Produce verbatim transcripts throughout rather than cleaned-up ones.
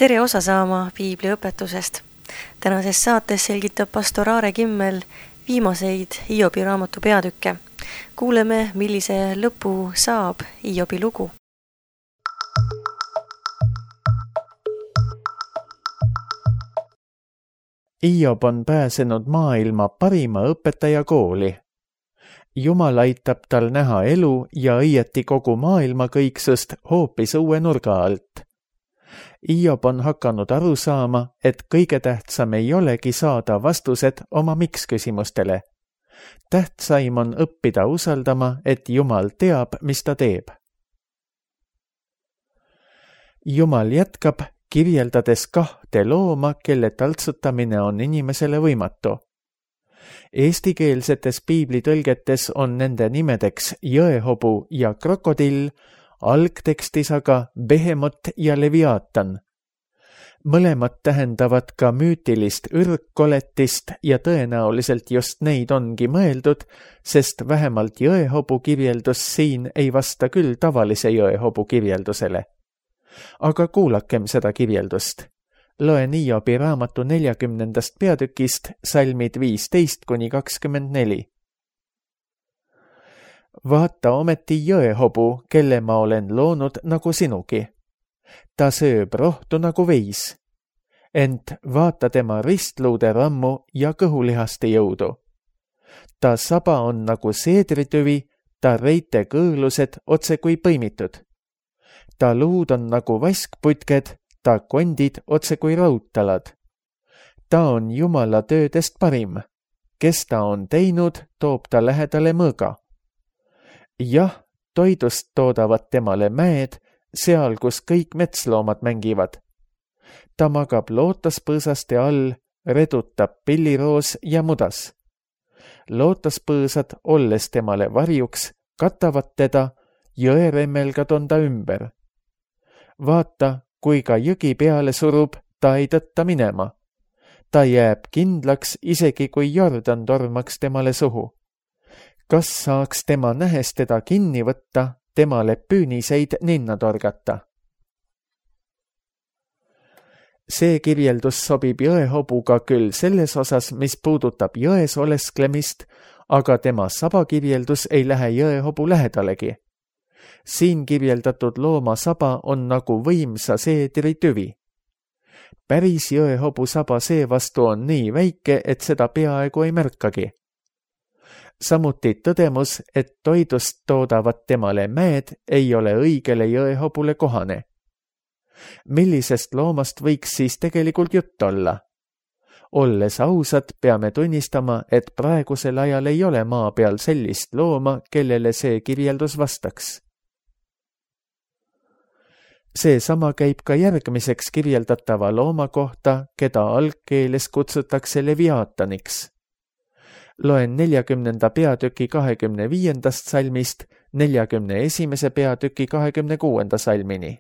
Tere osa saama Piibli õpetusest. Tänases saates selgitab pastor Aare Kimmel viimaseid Hiobi raamatu peatükke. Kuuleme, millise lõpu saab Hiobi lugu. Hiob on pääsenud maailma parima õpetaja kooli. Jumal aitab tal näha elu ja õieti kogu maailma kõiksust hoopis uue nurga alt. Hiob on hakanud aru saama, et kõige tähtsam ei olegi saada vastused oma miks-küsimustele. Tähtsaim on õppida usaldama, et Jumal teab, mis ta teeb. Jumal jätkab, kirjeldades kahte looma, kelle taltsutamine on inimesele võimatu. Eestikeelsetes piiblitõlgetes on nende nimedeks jõehobu ja krokodill, algtekstis aga Behemot ja Leviaatan. Mõlemad tähendavad ka müütilist ürgkoletist ja tõenäoliselt just neid ongi mõeldud, sest vähemalt jõehobu kirjeldus siin ei vasta küll tavalise jõehobu kirjeldusele. Aga kuulakem seda kirjeldust. Loen Hiobi raamatu neljakümnendast peatükist salmid viisteist kuni kakskümmend neli. Vaata ometi jõehobu, kelle ma olen loonud nagu sinugi. Ta sööb rohtu nagu veis. Ent vaata tema ristluude rammu ja kõhulihaste jõudu. Ta saba on nagu seedritüvi, ta reite kõõlused otse kui põimitud. Ta luud on nagu vaskputked, ta kondid otse kui raudtalad. Ta on Jumala töödest parim. Kes ta on teinud, toob ta lähedale mõõga. Jah, toidust toodavad temale mäed, seal, kus kõik metsloomad mängivad. Ta magab lootaspõõsaste all, redutab pilliroos ja mudas. Lootaspõõsad, olles temale varjuks, katavad teda, jõeremmelgad on ta ümber. Vaata, kui ka jõgi peale surub, ta ei tõtta minema. Ta jääb kindlaks, isegi kui Jordan tormaks temale suhu. Kas saaks tema nähes teda kinni võtta, temale püüniseid ninna torgata? See kirjeldus sobib jõehobuga küll selles osas, mis puudutab jões olesklemist, aga tema sabakirjeldus ei lähe jõehobu lähedalegi. Siin kirjeldatud looma saba on nagu võimsa seedri tüvi. Päris jõehobu saba seevastu on nii väike, et seda peaaegu ei märkagi. Samuti tõdemus, et toidust toodavad temale mäed, ei ole õigele jõehobule kohane. Millisest loomast võiks siis tegelikult jutt olla? Olles ausad, peame tunnistama, et praegusel ajal ei ole maa peal sellist looma, kellele see kirjeldus vastaks. See sama käib ka järgmiseks kirjeldatava looma kohta, keda algkeeles kutsutakse Leviaataniks. Loen neljakümnenda peatüki kahekümne viiendast salmist neljakümne esimese peatüki kahekümne kuuenda salmini.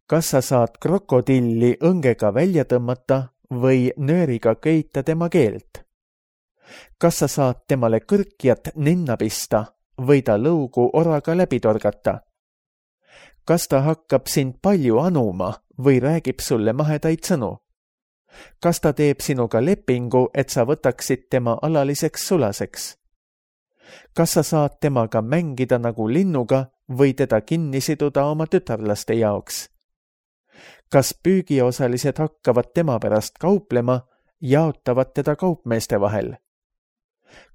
Kas sa saad krokodilli õngega välja tõmmata või nööriga köita tema keelt? Kas sa saad temale kõrkjat ninna pista või ta lõugu oraga läbi torgata? Kas ta hakkab sind palju anuma või räägib sulle mahedaid sõnu? Kas ta teeb sinuga lepingu, et sa võtaksid tema alaliseks sulaseks? Kas sa saad temaga mängida nagu linnuga või teda kinni siduda oma tütarlaste jaoks? Kas püügiosalised hakkavad tema pärast kauplema, jaotavad teda kaupmeeste vahel?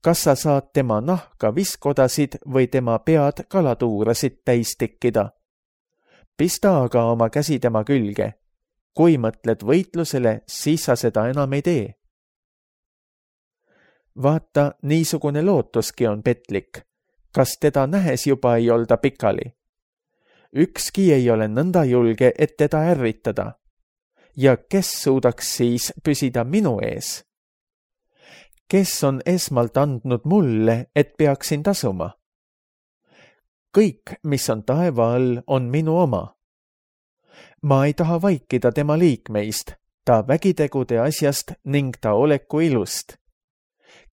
Kas sa saad tema nahka viskodasid või tema pead kalatuurasid täis tikkida? Pista aga oma käsi tema külge. Kui mõtled võitlusele, siis sa seda enam ei tee. Vaata, niisugune lootuski on petlik. Kas teda nähes juba ei olda pikali? Ükski ei ole nõnda julge, et teda ärritada. Ja kes suudaks siis püsida minu ees? Kes on esmalt andnud mulle, et peaksin tasuma? Kõik, mis on taeva all, on minu oma. Ma ei taha vaikida tema liikmeist, ta vägitegude asjast ning ta oleku ilust.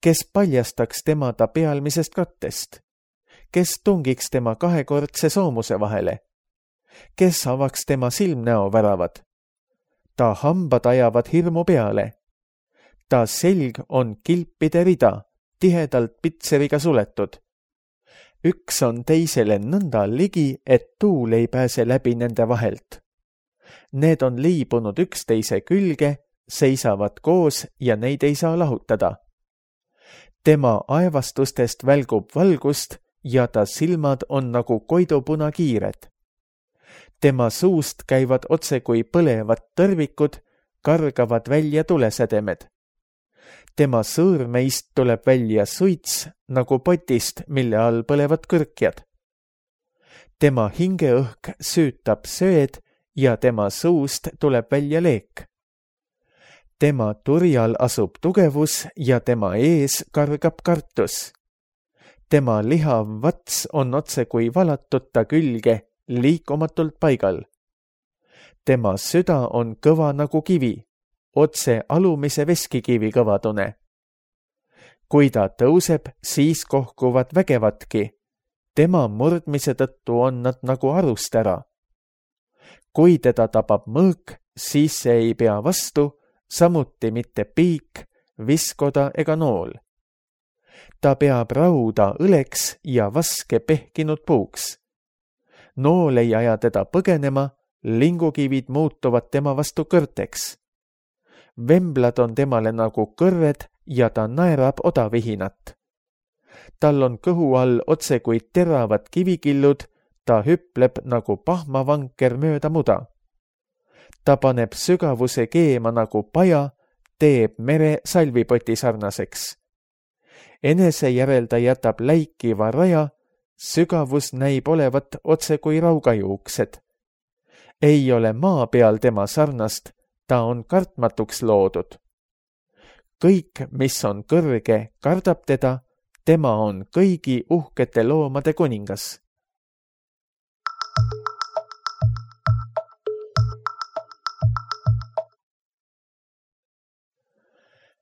Kes paljastaks tema ta pealmisest kattest? Kes tungiks tema kahekordse soomuse vahele? kes avaks tema silmnäoväravad? Ta hambad ajavad hirmu peale. Ta selg on kilpide rida, tihedalt pitseriga suletud. Üks on teisele nõnda ligi, et tuul ei pääse läbi nende vahelt. Need on liibunud üksteise külge, seisavad koos ja neid ei saa lahutada. Tema aevastustest välgub valgust ja ta silmad on nagu koidupunakiired. Tema suust käivad otse kui põlevad tõrvikud, kargavad välja tulesädemed. Tema sõõrmeist tuleb välja suits nagu potist, mille all põlevad kõrkjad. Tema hingeõhk süütab söed ja tema suust tuleb välja leek. Tema turjal asub tugevus ja tema ees kargab kartus. Tema lihav vats on otse kui valatud ta külge, liikumatult paigal. Tema süda on kõva nagu kivi, otse alumise veskikivi kõvadune. Kui ta tõuseb, siis kohkuvad vägevatki. Tema murdmise tõttu on nad nagu arust ära. Kui teda tabab mõõk, siis see ei pea vastu, samuti mitte piik, viskoda ega nool. Ta peab rauda õleks ja vaske pehkinud puuks. Nool ei aja teda põgenema, lingukivid muutuvad tema vastu kõrteks. Vemblad on temale nagu kõrved ja ta naerab odavihinat. Tal on kõhu all otse kui teravad kivikillud, ta hüpleb nagu pahmavanker mööda muda. Ta paneb sügavuse keema nagu paja, teeb mere salvipoti sarnaseks. Enese järel ta jätab läikiva raja, sügavus näib olevat otse kui raugajuuksed. Ei ole maa peal tema sarnast, ta on kartmatuks loodud. Kõik, mis on kõrge, kardab teda, tema on kõigi uhkete loomade kuningas.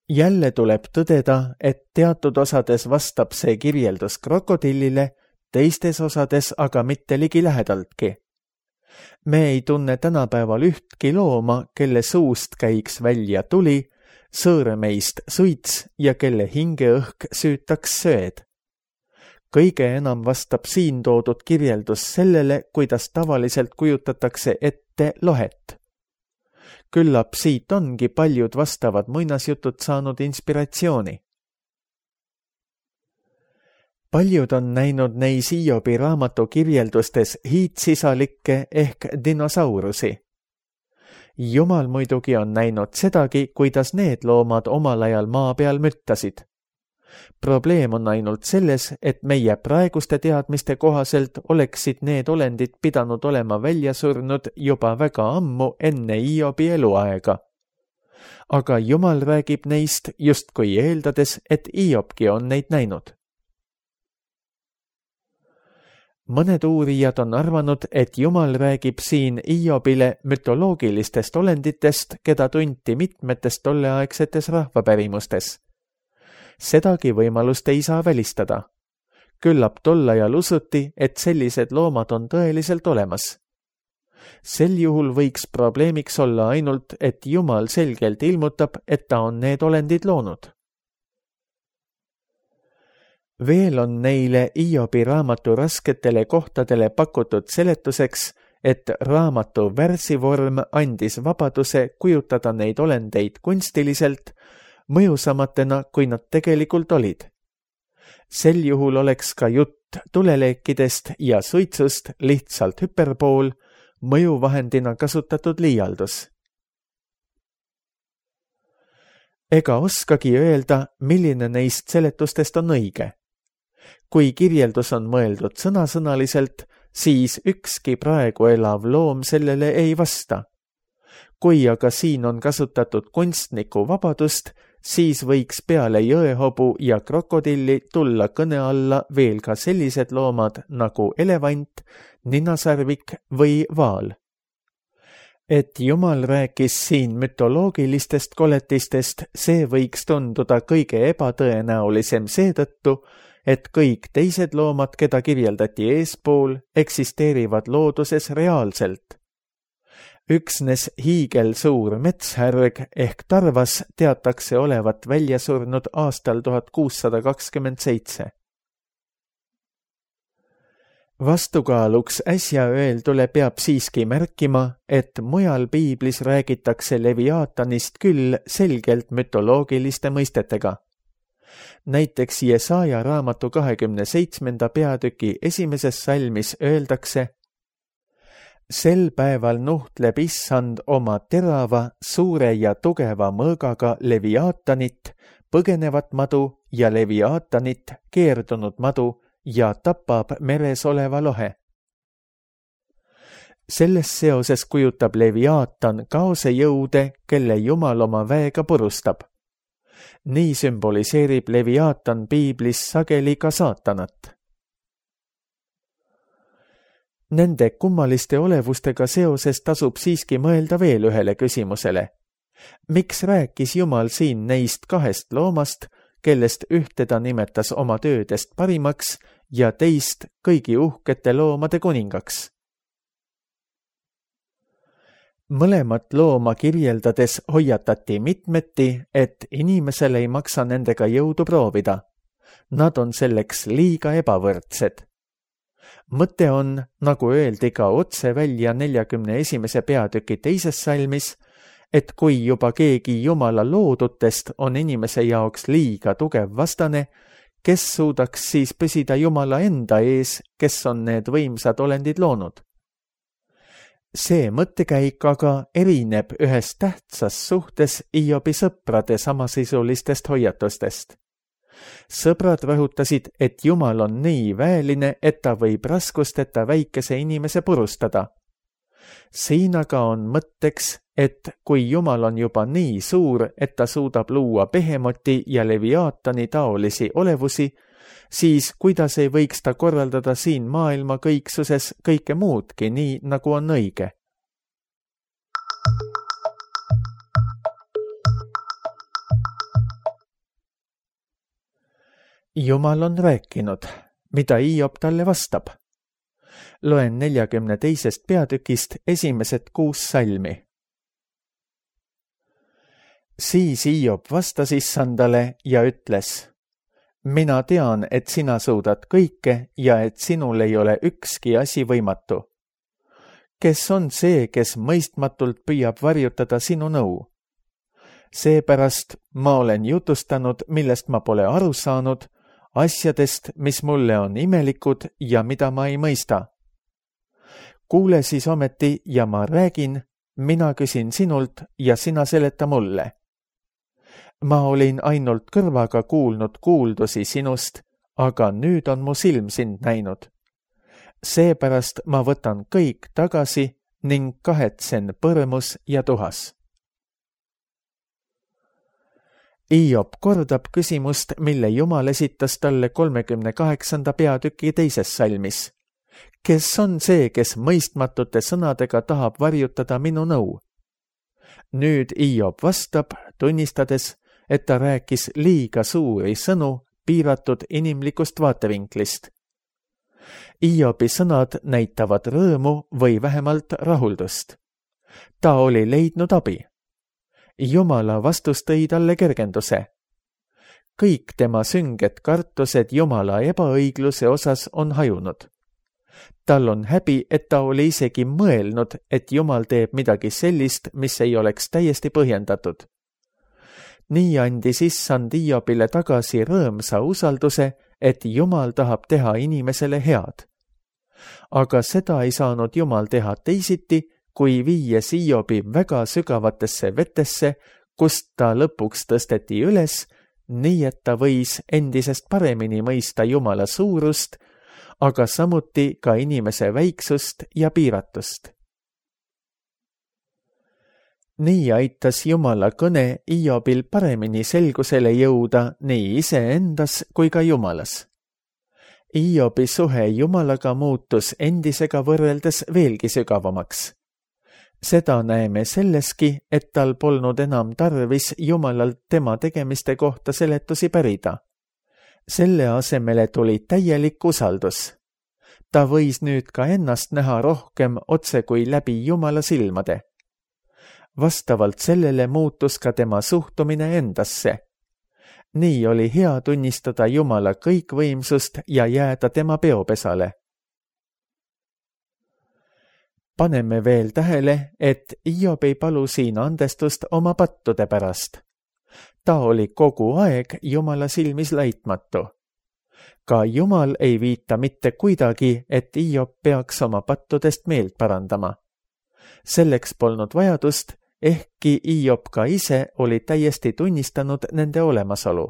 Jälle tuleb tõdeda, et teatud osades vastab see kirjeldus krokodillile, teistes osades aga mitte ligi lähedaltki. Me ei tunne tänapäeval ühtki looma, kelle suust käiks välja tuli, sõõremeist suits ja kelle hingeõhk süütaks söed. Kõige enam vastab siin toodud kirjeldus sellele, kuidas tavaliselt kujutatakse ette lohet. Küllap siit ongi paljud vastavad muinasjutud saanud inspiratsiooni. Paljud on näinud neis Hiobi raamatu kirjeldustes hiitsisalikke ehk dinosaurusi. Jumal muidugi on näinud sedagi, kuidas need loomad omal ajal maa peal müttasid. Probleem on ainult selles, et meie praeguste teadmiste kohaselt oleksid need olendid pidanud olema välja surnud juba väga ammu enne Hiobi eluaega. Aga Jumal räägib neist justkui eeldades, et Hiobki on neid näinud. Mõned uurijad on arvanud, et Jumal räägib siin Hiobile mütoloogilistest olenditest, keda tunti mitmetes tolleaegsetes rahvapärimustes. Sedagi võimalust ei saa välistada. Küllap tol ajal usuti, et sellised loomad on tõeliselt olemas. Sel juhul võiks probleemiks olla ainult, et Jumal selgelt ilmutab, et ta on need olendid loonud. Veel on neile Hiobi raamatu rasketele kohtadele pakutud seletuseks, et raamatu värsivorm andis vabaduse kujutada neid olendeid kunstiliselt, mõjusamatena, kui nad tegelikult olid. Sel juhul oleks ka jutt tuleleekidest ja suitsust lihtsalt hüperbool, mõjuvahendina kasutatud liialdus. Ega oskagi öelda, milline neist seletustest on õige. Kui kirjeldus on mõeldud sõnasõnaliselt, siis ükski praegu elav loom sellele ei vasta. Kui aga siin on kasutatud kunstniku vabadust, siis võiks peale jõehobu ja krokodilli tulla kõne alla veel ka sellised loomad nagu elevant, ninasarvik või vaal. Et Jumal rääkis siin mütoloogilistest koletistest, see võiks tunduda kõige ebatõenäolisem seetõttu, et kõik teised loomad, keda kirjeldati eespool, eksisteerivad looduses reaalselt. Üksnes hiigelsuur metshärg ehk tarvas teatakse olevat välja surnud aastal tuhat kuussada kakskümmend seitse. Vastukaaluks äsja öeldule peab siiski märkima, et mujal piiblis räägitakse Leviaatanist küll selgelt mütoloogiliste mõistetega. Näiteks Jesaja raamatu kahekümne seitsmenda peatüki esimeses salmis öeldakse: sel päeval nuhtleb issand oma terava, suure ja tugeva mõõgaga Leviaatanit, põgenevat madu ja Leviaatanit, keerdunud madu, ja tapab meres oleva lohe. Selles seoses kujutab Leviaatan kaose jõude, kelle Jumal oma väega purustab. Nii sümboliseerib Leviaatan piiblis sageli ka saatanat. Nende kummaliste olevustega seoses tasub siiski mõelda veel ühele küsimusele. Miks rääkis Jumal siin neist kahest loomast, kellest ühte ta nimetas oma töödest parimaks ja teist kõigi uhkete loomade kuningaks? Mõlemat looma kirjeldades hoiatati mitmeti, et inimesel ei maksa nendega jõudu proovida. Nad on selleks liiga ebavõrdsed. Mõte on, nagu öeldi ka otse välja neljakümne esimese peatüki teises salmis, et kui juba keegi Jumala loodutest on inimese jaoks liiga tugev vastane, kes suudaks siis püsida Jumala enda ees, kes on need võimsad olendid loonud? See mõttekäik aga erineb ühes tähtsas suhtes Hiobi sõprade samasisulistest hoiatustest. Sõbrad rõhutasid, et Jumal on nii väeline, et ta võib raskusteta väikese inimese purustada. Siin aga on mõtteks, et kui Jumal on juba nii suur, et ta suudab luua Behemoti ja Leviaatani taolisi olevusi, siis kuidas ei võiks ta korraldada siin maailma kõiksuses kõike muudki nii, nagu on õige? Jumal on rääkinud, mida Hiob talle vastab. Loen neljakümne teisest peatükist esimesed kuus salmi. Siis Hiob vastas issandale ja ütles: mina tean, et sina suudad kõike ja et sinul ei ole ükski asi võimatu. Kes on see, kes mõistmatult püüab varjutada sinu nõu? Seepärast ma olen jutustanud, millest ma pole aru saanud, asjadest, mis mulle on imelikud ja mida ma ei mõista. Kuule siis ometi ja ma räägin, mina küsin sinult ja sina seleta mulle. Ma olin ainult kõrvaga kuulnud kuuldusi sinust, aga nüüd on mu silm sind näinud. Seepärast ma võtan kõik tagasi ning kahetsen põrmus ja tuhas. Hiob kordab küsimust, mille Jumal esitas talle kolmekümne kaheksanda peatüki teises salmis. Kes on see, kes mõistmatute sõnadega tahab varjutada minu nõu? Nüüd Hiob vastab, tunnistades, et ta rääkis liiga suuri sõnu piiratud inimlikust vaatevinklist. Hiobi sõnad näitavad rõõmu või vähemalt rahuldust. Ta oli leidnud abi. Jumala vastus tõi talle kergenduse. Kõik tema sünged kartused Jumala ebaõigluse osas on hajunud. Tal on häbi, et ta oli isegi mõelnud, et Jumal teeb midagi sellist, mis ei oleks täiesti põhjendatud. Nii andis issand Hiobile tagasi rõõmsa usalduse, et Jumal tahab teha inimesele head. Aga seda ei saanud Jumal teha teisiti, kui viies Hiobi väga sügavatesse vetesse, kust ta lõpuks tõsteti üles, nii et ta võis endisest paremini mõista Jumala suurust, aga samuti ka inimese väiksust ja piiratust. Nii aitas Jumala kõne Hiobil paremini selgusele jõuda nii iseendas kui ka Jumalas. Hiobi suhe Jumalaga muutus endisega võrreldes veelgi sügavamaks. Seda näeme selleski, et tal polnud enam tarvis Jumalalt tema tegemiste kohta seletusi pärida. selle asemele tuli täielik usaldus. Ta võis nüüd ka ennast näha rohkem otse kui läbi Jumala silmade. Vastavalt sellele muutus ka tema suhtumine endasse. Nii oli hea tunnistada Jumala kõikvõimsust ja jääda tema peopesale. Paneme veel tähele, et Hiob ei palu siin andestust oma pattude pärast. Ta oli kogu aeg Jumala silmis laitmatu. Ka Jumal ei viita mitte kuidagi, et Hiob peaks oma pattudest meelt parandama. Selleks polnud vajadust, ehkki Hiob ka ise oli täiesti tunnistanud nende olemasolu.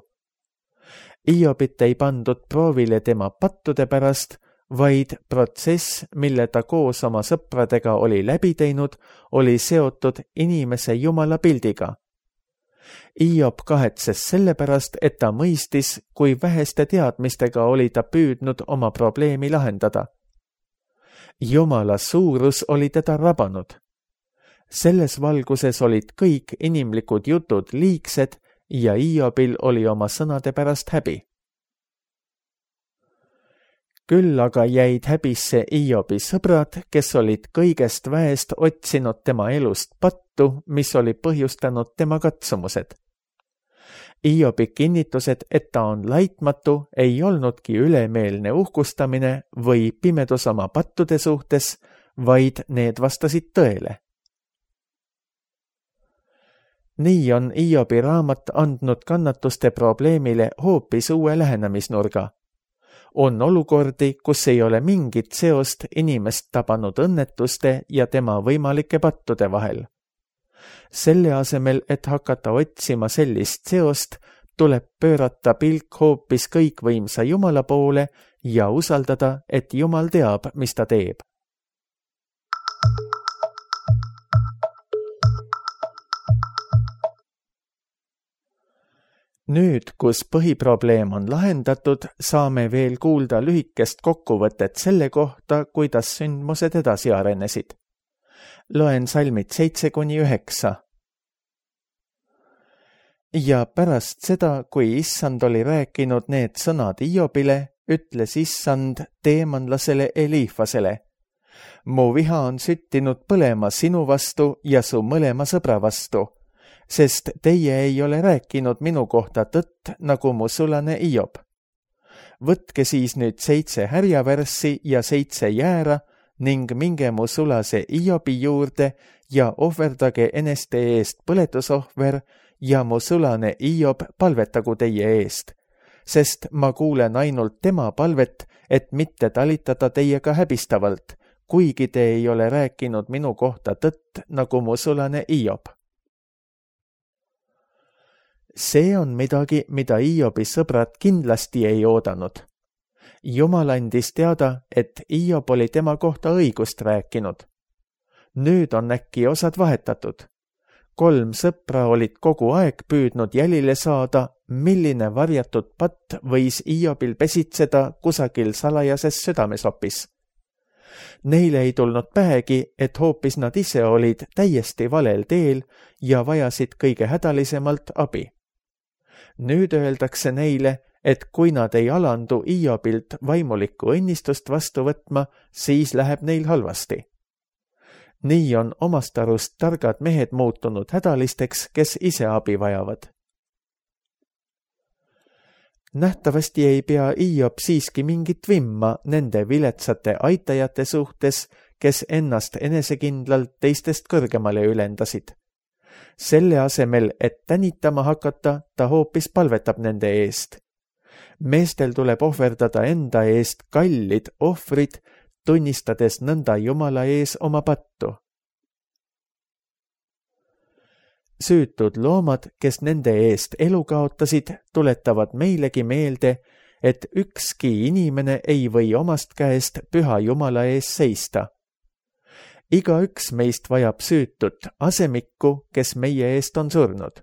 Hiobit ei pandud proovile tema pattude pärast, vaid protsess, mille ta koos oma sõpradega oli läbi teinud, oli seotud inimese Jumala pildiga. Hiob kahetses sellepärast, et ta mõistis, kui väheste teadmistega oli ta püüdnud oma probleemi lahendada. Jumala suurus oli teda rabanud. Selles valguses olid kõik inimlikud jutud liigsed ja Hiobil oli oma sõnade pärast häbi. Küll aga jäid häbisse Hiobi sõbrad, kes olid kõigest väest otsinud tema elust pattu, mis oli põhjustanud tema katsumused. Hiobi kinnitused, et ta on laitmatu, ei olnudki ülemeelne uhkustamine või pimedus oma pattude suhtes, vaid need vastasid tõele. Nii on Hiobi raamat andnud kannatuste probleemile hoopis uue lähenemisnurga. On olukordi, kus ei ole mingit seost inimest tabanud õnnetuste ja tema võimalike pattude vahel. Selle asemel, et hakata otsima sellist seost, tuleb pöörata pilk hoopis kõikvõimsa Jumala poole ja usaldada, et Jumal teab, mis ta teeb. Nüüd, kus põhiprobleem on lahendatud, saame veel kuulda lühikest kokkuvõtet selle kohta, kuidas sündmused edasi arenesid. Loen salmid seitse kuni üheksa. Ja pärast seda, kui Issand oli rääkinud need sõnad Hiobile, ütles Issand teemanlasele Eliifasele: mu viha on süttinud põlema sinu vastu ja su mõlema sõbra vastu, sest teie ei ole rääkinud minu kohta tõtt, nagu mu sulane Hiob. Võtke siis nüüd seitse härjavärssi ja seitse jäära ning minge mu sulase Hiobi juurde ja ohverdage eneste eest põletusohver ja mu sulane Hiob palvetagu teie eest, sest ma kuulen ainult tema palvet, et mitte talitada teiega häbistavalt, kuigi te ei ole rääkinud minu kohta tõtt, nagu mu sulane Hiob. See on midagi, mida Hiobi sõbrad kindlasti ei oodanud. Jumal andis teada, et Hiob oli tema kohta õigust rääkinud. Nüüd on äkki osad vahetatud. Kolm sõpra olid kogu aeg püüdnud jälile saada, milline varjatud patt võis Hiobil pesitseda kusagil salajases südamesopis. Neile ei tulnud pähegi, et hoopis nad ise olid täiesti valel teel ja vajasid kõige hädalisemalt abi. Nüüd öeldakse neile, et kui nad ei alandu Hiobilt vaimulikku õnnistust vastu võtma, siis läheb neil halvasti. Nii on omast arust targad mehed muutunud hädalisteks, kes ise abi vajavad. Nähtavasti ei pea Hiob siiski mingit vimma nende viletsate aitajate suhtes, kes ennast enesekindlalt teistest kõrgemale ülendasid. Selle asemel, et tänitama hakata, ta hoopis palvetab nende eest. Meestel tuleb ohverdada enda eest kallid ohvrid, tunnistades nõnda Jumala ees oma pattu. Süütud loomad, kes nende eest elu kaotasid, tuletavad meilegi meelde, et ükski inimene ei või omast käest püha Jumala ees seista. Igaüks meist vajab süütut asemikku, kes meie eest on surnud.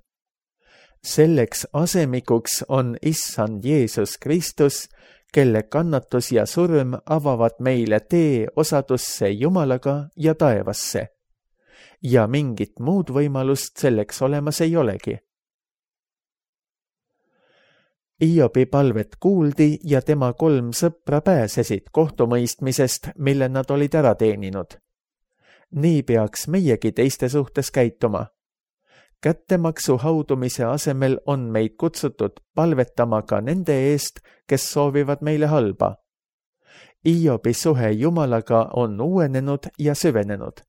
Selleks asemikuks on Issand Jeesus Kristus, kelle kannatus ja surm avavad meile tee osadusse Jumalaga ja taevasse. Ja mingit muud võimalust selleks olemas ei olegi. Hiobi palvet kuuldi ja tema kolm sõpra pääsesid kohtumõistmisest, mille nad olid ära teeninud. Nii peaks meiegi teiste suhtes käituma. Kättemaksu haudumise asemel on meid kutsutud palvetama ka nende eest, kes soovivad meile halba. Hiobi suhe Jumalaga on uuenenud ja süvenenud.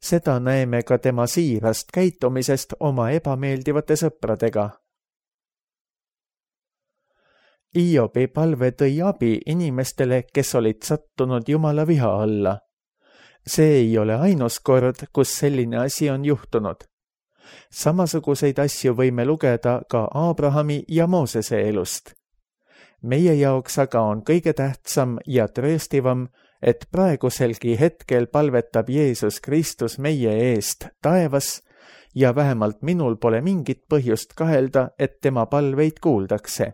Seda näeme ka tema siirast käitumisest oma ebameeldivate sõpradega. Hiobi palve tõi abi inimestele, kes olid sattunud Jumala viha alla. See ei ole ainus kord, kus selline asi on juhtunud. Samasuguseid asju võime lugeda ka Abrahami ja Moosese elust. Meie jaoks aga on kõige tähtsam ja trööstivam, et praeguselgi hetkel palvetab Jeesus Kristus meie eest taevas ja vähemalt minul pole mingit põhjust kahelda, et tema palveid kuuldakse.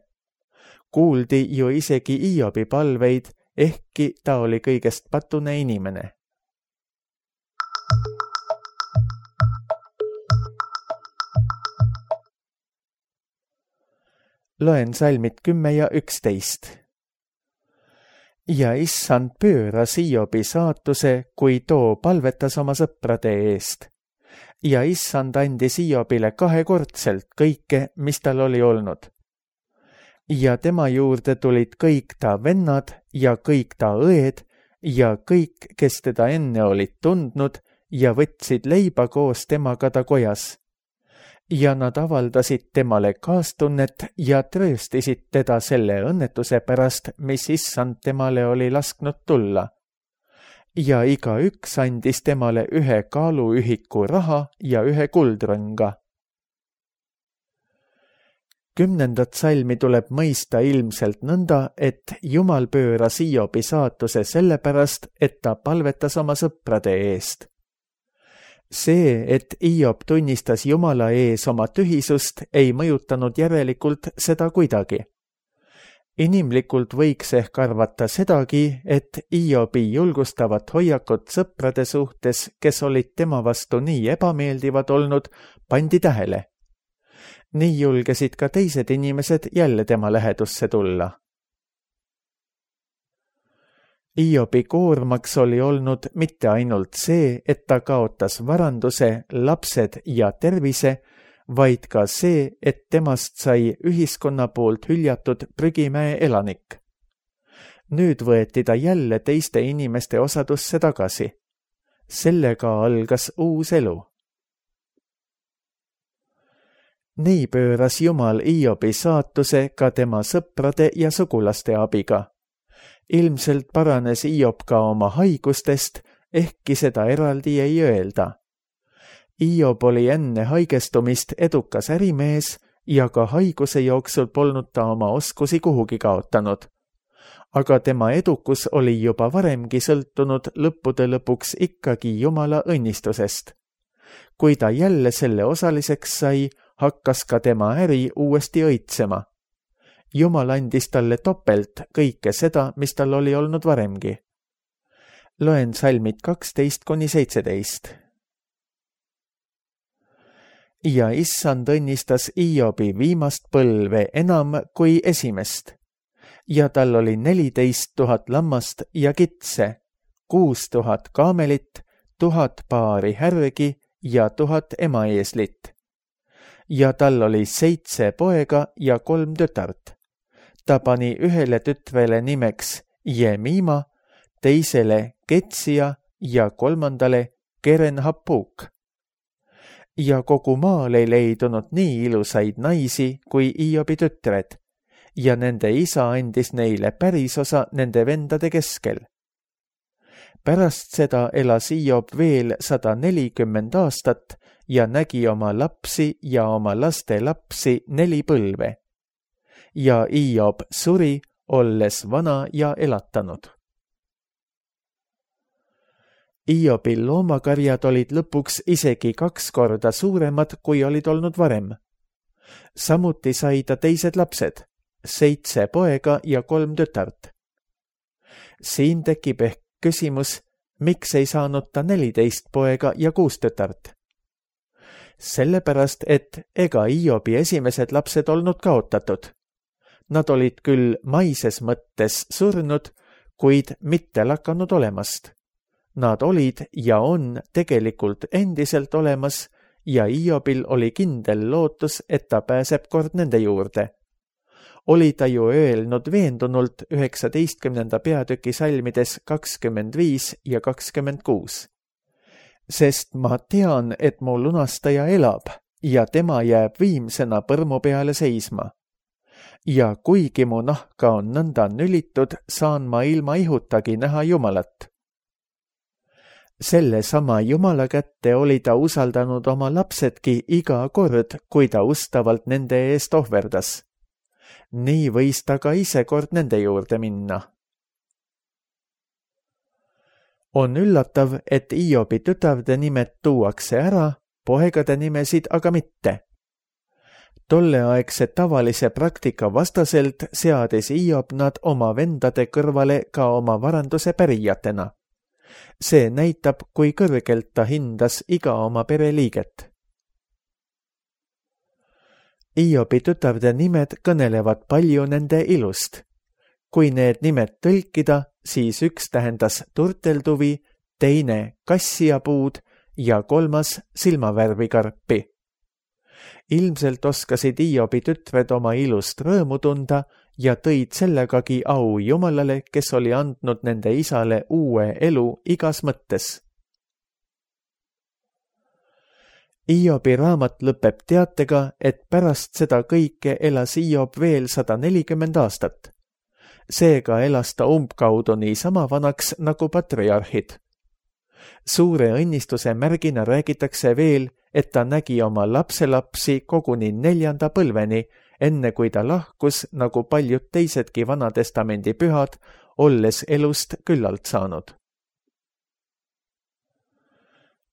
Kuuldi ju isegi Hiobi palveid, ehkki ta oli kõigest patune inimene. Loen salmid kümme ja üksteist. Ja issand pööras Hiobi saatuse, kui too palvetas oma sõprade eest. Ja issand andis Hiobile kahekordselt kõike, mis tal oli olnud. Ja tema juurde tulid kõik ta vennad ja kõik ta õed ja kõik, kes teda enne olid tundnud ja võtsid leiba koos temaga ta kojas. Ja nad avaldasid temale kaastunnet ja trööstisid teda selle õnnetuse pärast, mis issand temale oli lasknud tulla. Ja iga üks andis temale ühe kaaluühiku raha ja ühe kuldrõnga. Kümnendat salmi tuleb mõista ilmselt nõnda, et Jumal pööras Hiobi saatuse sellepärast, et ta palvetas oma sõprade eest. See, et Hiob tunnistas Jumala ees oma tühisust, ei mõjutanud järelikult seda kuidagi. Inimlikult võiks ehk arvata sedagi, et Hiobi julgustavat hoiakut sõprade suhtes, kes olid tema vastu nii ebameeldivad olnud, pandi tähele. Nii julgesid ka teised inimesed jälle tema lähedusse tulla. Hiobi koormaks oli olnud mitte ainult see, et ta kaotas varanduse, lapsed ja tervise, vaid ka see, et temast sai ühiskonna poolt hüljatud prügimäe elanik. Nüüd võeti ta jälle teiste inimeste osadusse tagasi. Sellega algas uus elu. Nii pööras Jumal Hiobi saatuse ka tema sõprade ja sugulaste abiga. Ilmselt paranes Hiob ka oma haigustest, ehkki seda eraldi ei öelda. Hiob oli enne haigestumist edukas ärimees ja ka haiguse jooksul polnud ta oma oskusi kuhugi kaotanud. Aga tema edukus oli juba varemgi sõltunud lõppude lõpuks ikkagi Jumala õnnistusest. Kui ta jälle selle osaliseks sai, hakkas ka tema äri uuesti õitsema. Jumal andis talle topelt kõike seda, mis tal oli olnud varemgi. Loen salmid kaksteist kuni seitseteist. Ja issand õnnistas Hiobi viimast põlve enam kui esimest. Ja tal oli neliteist tuhat lammast ja kitse, kuus tuhat kaamelit, tuhat paari härgi ja tuhat emaeeslit. Ja tal oli seitse poega ja kolm tütart. Ta pani ühele tütrele nimeks Jemima, teisele Ketsia ja kolmandale Keren-Hapuk. Ja kogu maal ei leidunud nii ilusaid naisi kui Hiobi tütred, ja nende isa andis neile pärisosa nende vendade keskel. Pärast seda elas Hiob veel sada nelikümmend aastat ja nägi oma lapsi ja oma laste lapsi neli põlve. Ja Hiob suri, olles vana ja elatanud. Hiobil loomakarjad olid lõpuks isegi kaks korda suuremad, kui olid olnud varem. Samuti sai ta teised lapsed, seitse poega ja kolm tütart. Siin tekib ehk küsimus, miks ei saanud ta neliteist poega ja kuus tütart? Sellepärast, et ega Hiobi esimesed lapsed olnud kaotatud. nad olid küll maises mõttes surnud, kuid mitte lakanud olemast. Nad olid ja on tegelikult endiselt olemas ja Hiobil oli kindel lootus, et ta pääseb kord nende juurde. Oli ta ju öelnud veendunult üheksateistkümnenda peatüki salmides kakskümmend viis ja kakskümmend kuus. Sest ma tean, et mu lunastaja elab ja tema jääb viimsena põrmu peale seisma. Ja kuigi mu nahka on nõnda nülitud, saan ma ilma ihutagi näha Jumalat. Selle sama Jumala kätte oli ta usaldanud oma lapsedki iga kord, kui ta ustavalt nende eest ohverdas. Nii võis ta ka ise kord nende juurde minna. On üllatav, et Hiobi tütarde nimed tuuakse ära, poegade nimesid aga mitte. Tolleaegse tavalise praktika vastaselt seadis Hiob nad oma vendade kõrvale ka oma varanduse pärijatena. See näitab, kui kõrgelt ta hindas iga oma pereliiget. Hiobi tütarde nimed kõnelevad palju nende ilust. Kui need nimed tõlkida, siis üks tähendas turtelduvi, teine kassiapuud ja kolmas silmavärvikarpi. Ilmselt oskasid Hiobi tütred oma ilust rõõmu tunda ja tõid sellegagi au Jumalale, kes oli andnud nende isale uue elu igas mõttes. Hiobi raamat lõpeb teatega, et pärast seda kõike elas Hiob veel sada nelikümmend aastat. Seega elas ta umbkaudu nii sama vanaks nagu patriarhid. Suure õnnistuse märgina räägitakse veel, et ta nägi oma lapselapsi koguni neljanda põlveni, enne kui ta lahkus, nagu paljud teisedki Vanatestamendi pühad, olles elust küllalt saanud.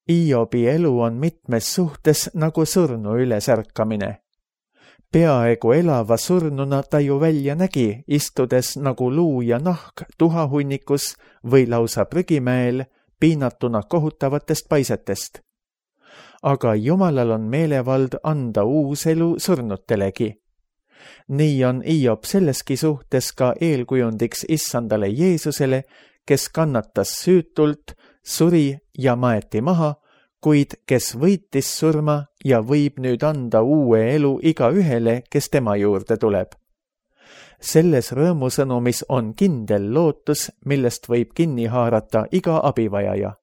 Hiobi elu on mitmes suhtes nagu surnu ülesärkamine. Peaaegu elava surnuna ta ju välja nägi, istudes nagu luu ja nahk tuhahunnikus või lausa prügimäel, piinatuna kohutavatest paisetest. Aga Jumalal on meelevald anda uus elu surnutelegi. Nii on Hiob selleski suhtes ka eelkujundiks issandale Jeesusele, kes kannatas süütult, suri ja maeti maha, kuid kes võitis surma ja võib nüüd anda uue elu iga ühele, kes tema juurde tuleb. Selles rõõmusõnumis on kindel lootus, millest võib kinni haarata iga abivajaja.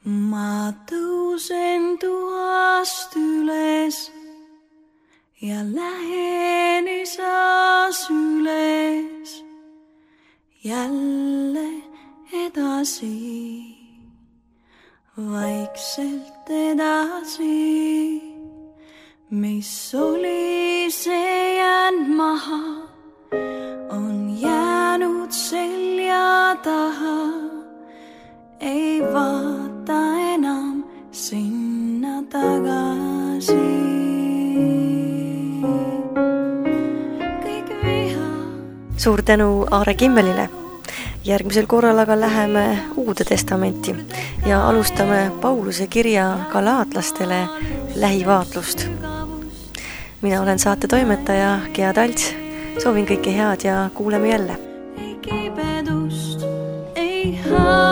Ma tõusen tuhast üles ja lähen isas üles jälle edasi, vaikselt edasi, mis oli see jäänud maha, on jäänud selja taha, ei vaata enam sinna tagasi. Kõik viha. Suur tänu Aare Kimmelile. Järgmisel korral aga läheme Uude testamenti ja alustame Pauluse kirja galaatlastele lähivaatlust. Mina olen saate toimetaja Gea Talts. Soovin kõike head ja kuuleme jälle. Ei kibedust, ei haa.